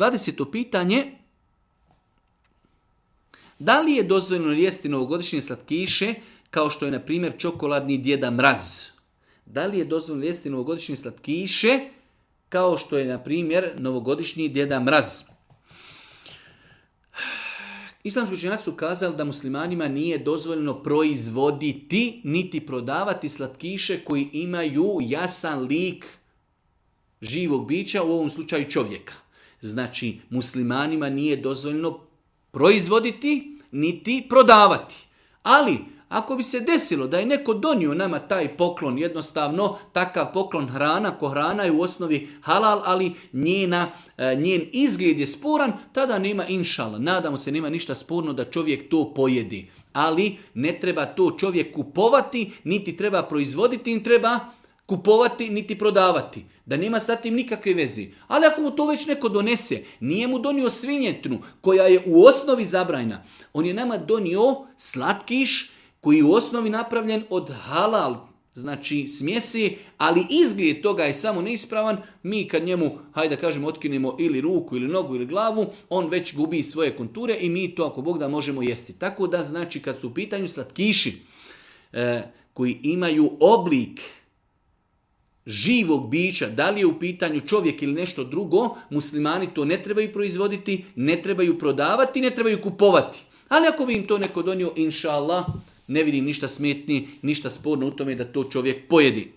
20. pitanje. Da li je dozvoljeno jesti novogodišnje slatkiše kao što je, na primjer, čokoladni Djeda Mraz? Da li je dozvoljeno jesti novogodišnje slatkiše kao što je, na primjer, novogodišnji Djeda Mraz? Islamski učenjaci su kazali da muslimanima nije dozvoljeno proizvoditi niti prodavati slatkiše koji imaju jasan lik živog bića, u ovom slučaju čovjeka. Znači, muslimanima nije dozvoljeno proizvoditi niti prodavati. Ali, ako bi se desilo da je neko donio nama taj poklon, jednostavno takav poklon hrana, ko hrana je u osnovi halal, ali njen izgled je sporan, tada nema inšala. Nadamo se, nema ništa sporno da čovjek to pojedi. Ali ne treba to čovjek kupovati, niti treba proizvoditi, niti treba kupovati, niti prodavati. Da nema sa tim nikakve veze. Ali ako mu to već neko donese, nije mu donio svinjetinu koja je u osnovi zabranjena. On je nama donio slatkiš koji je u osnovi napravljen od halal, znači smjesi, ali izgled toga je samo neispravan. Mi kad njemu, hajde da kažemo, otkinemo ili ruku, ili nogu, ili glavu, on već gubi svoje konture i mi to, ako Bog da, možemo jesti. Tako da, znači, kad su u pitanju slatkiši koji imaju oblik živog bića, da li je u pitanju čovjek ili nešto drugo, muslimani to ne trebaju proizvoditi, ne trebaju prodavati, ne trebaju kupovati. Ali ako bi im to neko donio, inša Allah, ne vidim ništa smetni, ništa sporno u tome da to čovjek pojedi.